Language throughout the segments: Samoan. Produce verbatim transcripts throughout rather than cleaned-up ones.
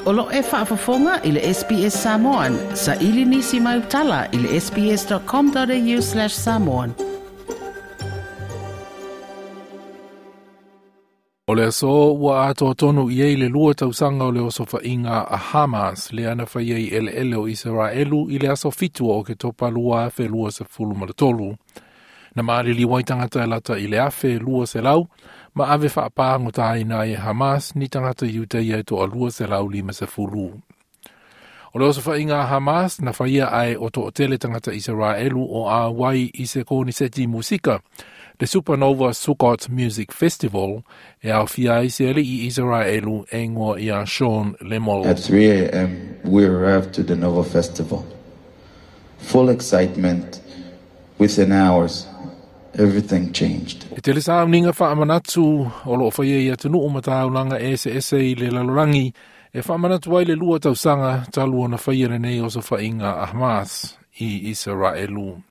O lo e faafofoga i le S B S Samoan, sa ili nisi mai utala i le S B S dot com dot A U slash samoan. O le aso ua atoa tonu i ai le lua tausaga o le osofaiga a Hamas lea na faia i eleele o Isaraelu i le aso fitu o Oketopa lua afe lua sefulu ma le tolu. Na maliliu ai tagata e lata i le afe lua selau ma ave faapagota ai e Hamas ni tagata Iutaia e toa lua selau lima sefulu. O le osofaiga a Hamas na faia ae o toatele tagata Isaraelu o auai i se koniseti musika, le Supernova Sukkot Music Festival, e aofia ai se alii Isaraelu e igoa ia Sean Lemol. At three a m, we arrived to the Nova Festival. Full excitement. Within hours, everything changed. E tele sauniga faamanatu o loo faia i atunuu ma taulaga eseese i le lalolagi e faamanatu ai le lua tausaga talu ona faia lenei osofaiga a Hamas i Isaraelu.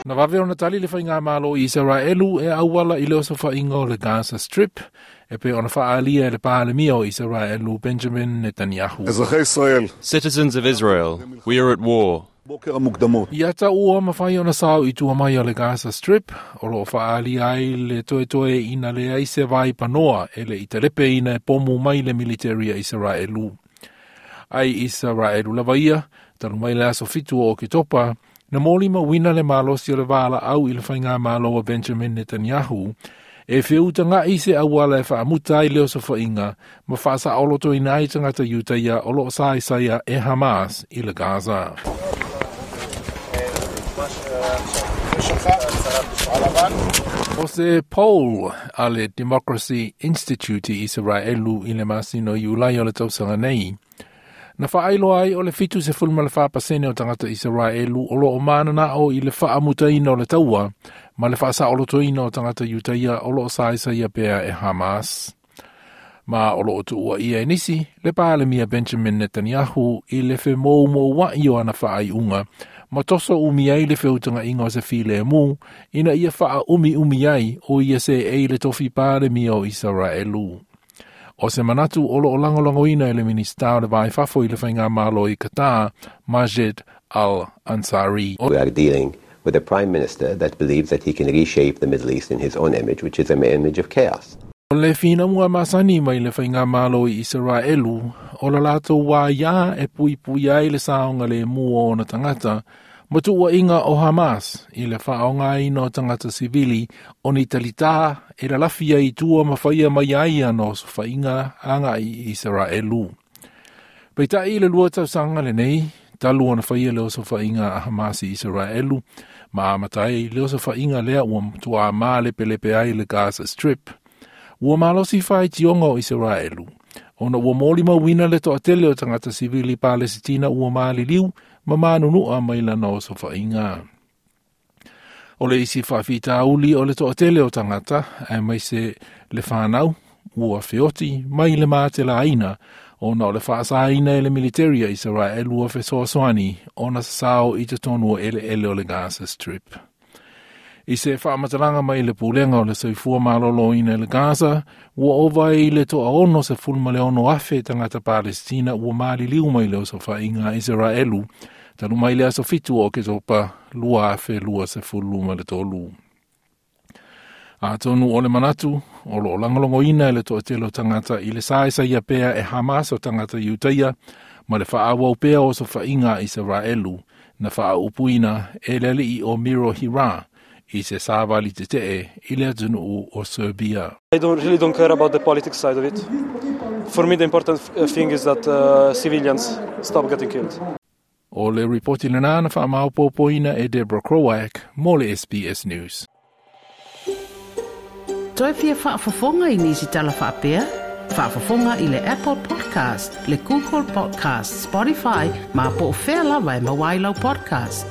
Na vave ona tali le faigamalo i Isaraelu e auala i le osofaiga o le Gaza Strip e pei ona faaalia e le Palemia o Isaraelu Benjamin Netanyahu. אזרחי ישראל, Citizens of Israel, we are at war. בוקר המוקדמות. Ia ta ua mawhai ona sao i tua mai o le Gaza Strip, o loo faaalia ai le toetoe ina le ai se vai panoa e le i telepe ina e pomu mai le military a Isaraelu. Ai Isaraelu lava ia, talu mai le aso fitu o Oketopa, na molimauina le malosi o le valaau i le faigamalo a Benjamin Netanyahu, e feutagai se auala e faamuta ai le osofaiga ma faasaolotoina ai tagata Iutaia o loo saesaea e Hamas i le Gaza. O se poll a le Democracy Institute i Isaraelu i le masina o Iulai o le tausaga nei, na faailoa ai o le fitu sefulu ma le fa pasene o tagata Isaraelu o loo mananao i le faamutaina o le taua ma le faasaolotoina o tagata Iutaia o loo saesaea pea e Hamas. Ma o loo tuua ia e nisi, le Palemia Benjamin Netanyahu i le femoumouai o ana faaiuga, ma toso umi ai le feutagaiga o se filemu, ina ia faaumiumi ai o ia seei i le tofi Palemia o Isaraelu. O se manatu o loo lagolagoina e le Minista o le Va i Fafo i le Faigamalo i Qatar, Majed Al Ansari. We are dealing with a prime minister that believes that he can reshape the Middle East in his own image, which is an image of chaos. O le finauga masani mai le Faigamalo i Isaraelu, o la latou wā e pui pui ai le saoga lemu o ona tagata, ma tuuaiga o Hamas i le faaaogaina o tagata sivili o ni talitā e lalafi ai i tua ma faia mai ai ana osofaiga agai i Isaraelu. Peitai i le lua tausaga lenei, talu ona faia le osofaiga a Hamas i Isaraelu, ma amata ai le osofaiga lea ua matuā malepelepe ai le Gaza Strip. Ua malosi faitioga o Isaraelu, ona ua molimauina le toatele o tagata sivili Palesitina ua maliliu ma manunua mai lana osofaiga. O le isi faafitauli o le toatele o tagata, aemaise le fanau, ua feoti mai le matelaina, ona o le faasaina e le military a Israel ua fesoasoani ona sasao i totonu o eleele o le Gaza Strip. I se faamatalaga mai le Pulega o le Soifua Maloloina i le Gaza, ua ova ai le toa ono sefulu ma le ono afe tagata Palestina ua maliliu mai le osofaiga a Isaraelu, talu mai le aso fitu o Oketopa lua afe lua sefulu ma le tolu. Atonu o le manatu, o loo lagolagoina e le toatele o tagata i le saesaea pea e Hamas o tagata Iutaia, ma le faaauau pea o osofaiga a Isaraelu, na faaupuina e le alii o Miro Hira, i se savali tetee i le atunuu o Serbia. I don't really don't care about the politics side of it. For me, the important thing is that uh, civilians stop getting killed. O le ripoti lena na faamaopoopoina e Deborah Krowak mo le S B S News. Toe fia faafofoga i nisi tala faapea? Faafofoga i le Apple Podcast, le Google Podcast, Spotify, ma po o fea lava e maua ai lau podcast.